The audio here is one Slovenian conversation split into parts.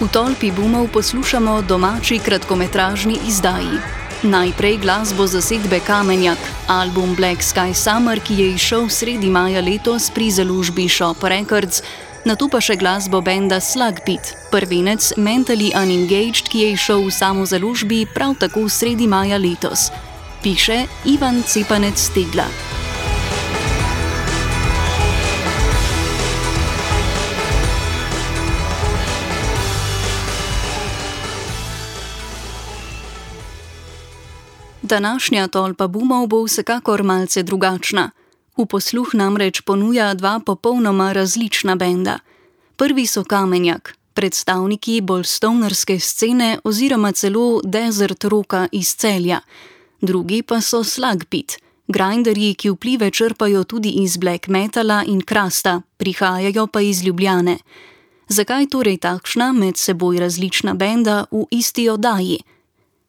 V tolpi bumov poslušamo domači kratkometražni izdaji. Najprej glasbo zasedbe Kamenjak, album Black Sky Summer, ki je izšel sredi maja letos pri založbi Shop Records, nato pa še glasbo benda Slugpit, prvenec Mentally Unengaged, ki je izšel v samozaložbi prav tako sredi maja letos. Piše Ivan Cepanec Tegla. Današnja tolpa bumov bo vsekakor malce drugačna. V posluh namreč ponuja dva popolnoma različna benda. Prvi so Kamenjak, predstavniki bolj stonerske scene oziroma celo desert rocka iz Celja. Drugi pa so Slugpit, grinderji, ki vplive črpajo tudi iz black metala in krasta, prihajajo pa iz Ljubljane. Zakaj torej takšna med seboj različna benda v isti oddaji?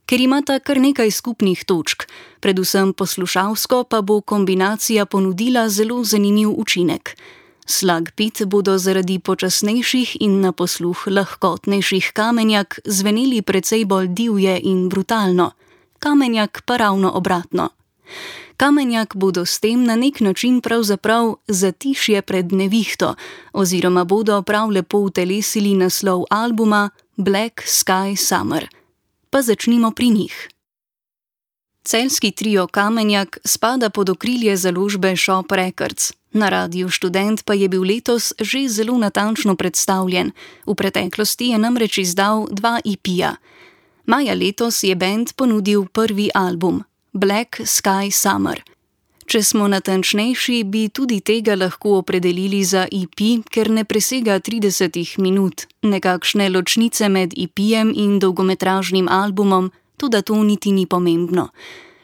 Ker imata kar nekaj skupnih točk, predvsem poslušalsko pa bo kombinacija ponudila zelo zanimiv učinek. Slugpit bodo zaradi počasnejših in na posluh lahkotnejših Kamenjak zveneli precej bolj divje in brutalno, Kamenjak pa ravno obratno. Kamenjak bodo s tem na nek način pravzaprav zatišje pred nevihto, oziroma bodo prav lepo utelesili naslov albuma Black Sky Summer. Pa začnimo pri njih. Celjski trio Kamenjak spada pod okrilje založbe Shop Records. Na Radiu Študent pa je bil letos že zelo natančno predstavljen. V preteklosti je namreč izdal 2 EP-ja. Maja letos je bend ponudil prvi album, Black Sky Summer. Če smo natančnejši, bi tudi tega lahko opredelili za EP, ker ne presega 30 minut, nekakšne ločnice med EP-jem in dolgometražnim albumom, toda to niti ni pomembno.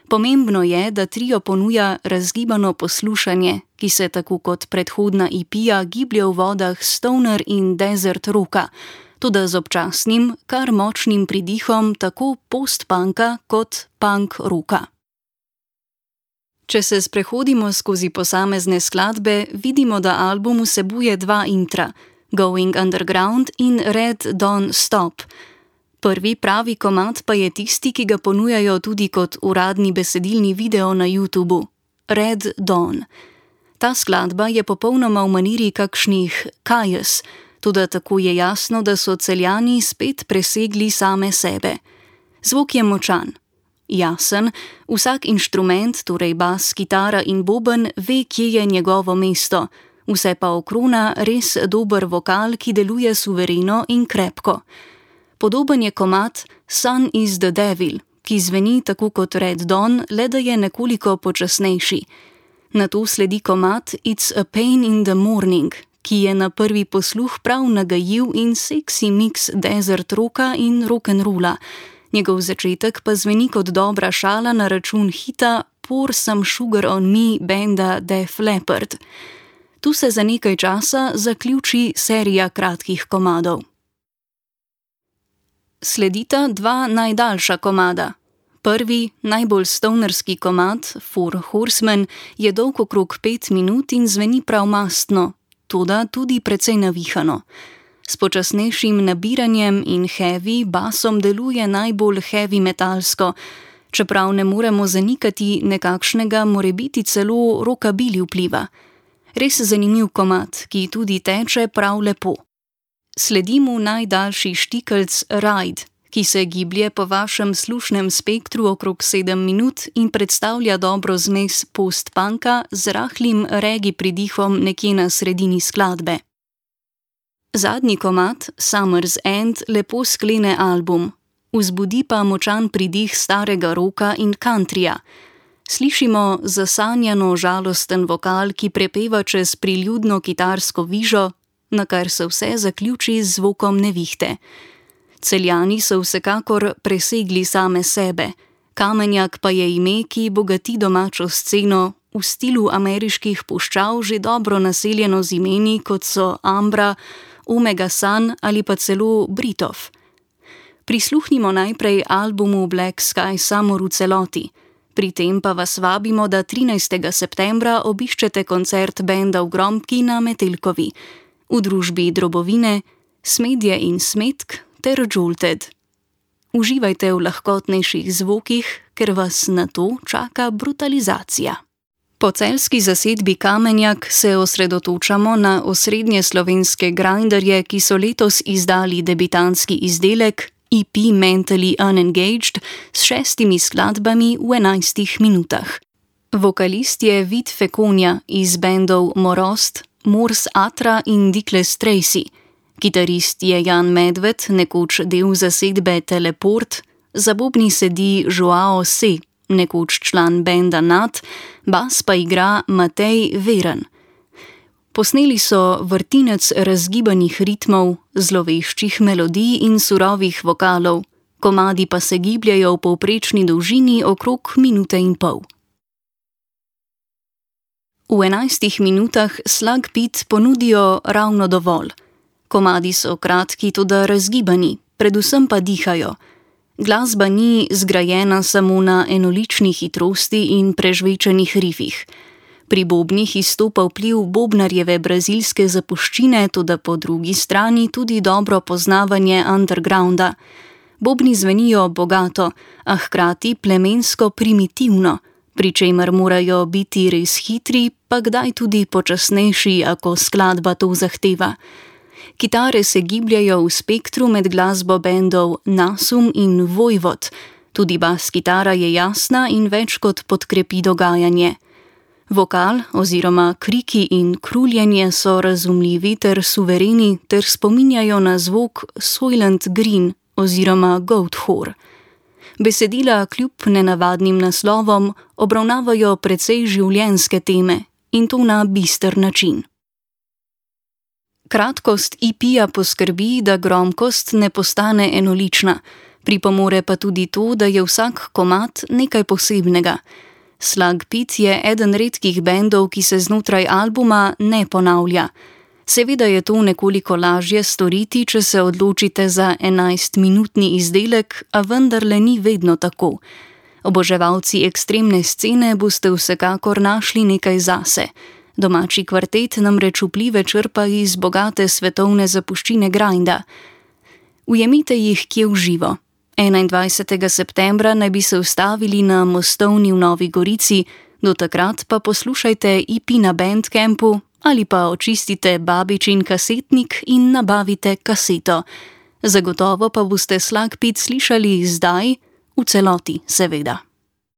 Pomembno je, da trio ponuja razgibano poslušanje, ki se tako kot predhodna EP-ja giblje v vodah stoner in desert rocka, toda z občasnim, kar močnim pridihom tako post-punka kot punk rocka. Če se sprehodimo skozi posamezne skladbe, vidimo, da album vsebuje 2 intra, Going Underground in Red Dawn Stop. Prvi pravi komad pa je tisti, ki ga ponujajo tudi kot uradni besedilni video na YouTubu, Red Dawn. Ta skladba je popolnoma v maniri kakšnih Kajes, toda tako je jasno, da so Celjani spet presegli same sebe. Zvok je močan. Jasen, vsak inštrument, torej bas, kitara in boben, ve, kje je njegovo mesto, vse pa okrona res dober vokal, ki deluje suvereno in krepko. Podoben je komad Sun is the Devil, ki zveni tako kot Red Dawn, le da je nekoliko počasnejši. Nato sledi komad It's a Pain in the Morning, ki je na prvi posluh prav nagajiv in seksi miks desert rocka in rock'n'rolla. Njegov začetek pa zveni kot dobra šala na račun hita Pour Some Sugar on Me benda Def Leppard. Tu se za nekaj časa zaključi serija kratkih komadov. Sledita 2 najdaljša komada. Prvi, najbolj stonerski komad, Four Horsemen, je dolg okrog 5 minut in zveni prav mastno, toda tudi precej navihano. S počasnejšim nabiranjem in heavy basom deluje najbolj heavy metalsko, čeprav ne moremo zanikati nekakšnega morebiti celo rockabilly vpliva. Res zanimiv komad, ki tudi teče prav lepo. Sledi mu najdaljši štikelc Ride, ki se giblje po vašem slušnem spektru okrog 7 minut in predstavlja dobro zmes post-punka z rahlim reggae pridihom nekje na sredini skladbe. Zadnji komad, Summer's End, lepo sklene album, vzbudi pa močan pridih starega rocka in countryja. Slišimo zasanjano žalosten vokal, ki prepeva čez priljudno kitarsko vižo, na kar se vse zaključi z zvokom nevihte. Celjani so vsekakor presegli same sebe, Kamenjak pa je ime, ki bogati domačo sceno, v stilu ameriških puščav že dobro naseljeno z imeni, kot so Ambra, Omega Sun ali pa celo Britov. Prisluhnimo najprej albumu Black Sky Summer v celoti. Pri tem pa vas vabimo, da 13. septembra obiščete koncert benda v Gromki na Metelkovi. V družbi Drobovine, Smedje in Smetk ter Jolted. Uživajte v lahkotnejših zvokih, ker vas na to čaka brutalizacija. Po celjski zasedbi Kamenjak se osredotočamo na osrednje slovenske grinderje, ki so letos izdali debitantski izdelek EP Mentally Unengaged s 6 skladbami v 11 minutah. Vokalist je Vid Fekonja iz bendov Morost, Mors Atra in Dikles Tracy. Kitarist je Jan Medved, nekoč del zasedbe Teleport, za bobni sedi Joao Se, nekoč član benda Nat, bas pa igra Matej Veren. Posneli so vrtinec razgibanih ritmov, zloveščih melodij in surovih vokalov, komadi pa se gibljajo v povprečni dolžini okrog 1,5 minute. V 11 minutah Slug Pit ponudijo ravno dovolj. Komadi so kratki, toda razgibani, predvsem pa dihajo. Glasba ni zgrajena samo na enolični hitrosti in prežvečenih rifih. Pri bobnih izstopa vpliv bobnarjeve brazilske zapuščine, toda po drugi strani tudi dobro poznavanje undergrounda. Bobni zvenijo bogato, a hkrati plemensko primitivno, pri čemer morajo biti res hitri, pa kdaj tudi počasnejši, ako skladba to zahteva. Kitare se gibljajo v spektru med glasbo bendov Nasum in Vojvod, tudi bas kitara je jasna in več kot podkrepi dogajanje. Vokal oziroma kriki in kruljenje so razumljivi ter suvereni ter spominjajo na zvok Soylent Green oziroma Goatwhore. Besedila kljub nenavadnim naslovom obravnavajo precej življenjske teme in to na bister način. Kratkost EP-ja poskrbi, da gromkost ne postane enolična, pripomore pa tudi to, da je vsak komad nekaj posebnega. Slug Pit je eden redkih bendov, ki se znotraj albuma ne ponavlja. Seveda je to nekoliko lažje storiti, če se odločite za 11-minutni izdelek, a vendarle ni vedno tako. Oboževalci ekstremne scene boste vsekakor našli nekaj zase. Domači kvartet namreč vplive črpa iz bogate svetovne zapuščine grinda. Ujemite jih kje v živo. 21. septembra naj bi se ustavili na Mostovni v Novi Gorici, do takrat pa poslušajte EP na Bandcampu ali pa očistite babičin kasetnik in nabavite kaseto. Zagotovo pa boste Slug Pit slišali zdaj, v celoti seveda.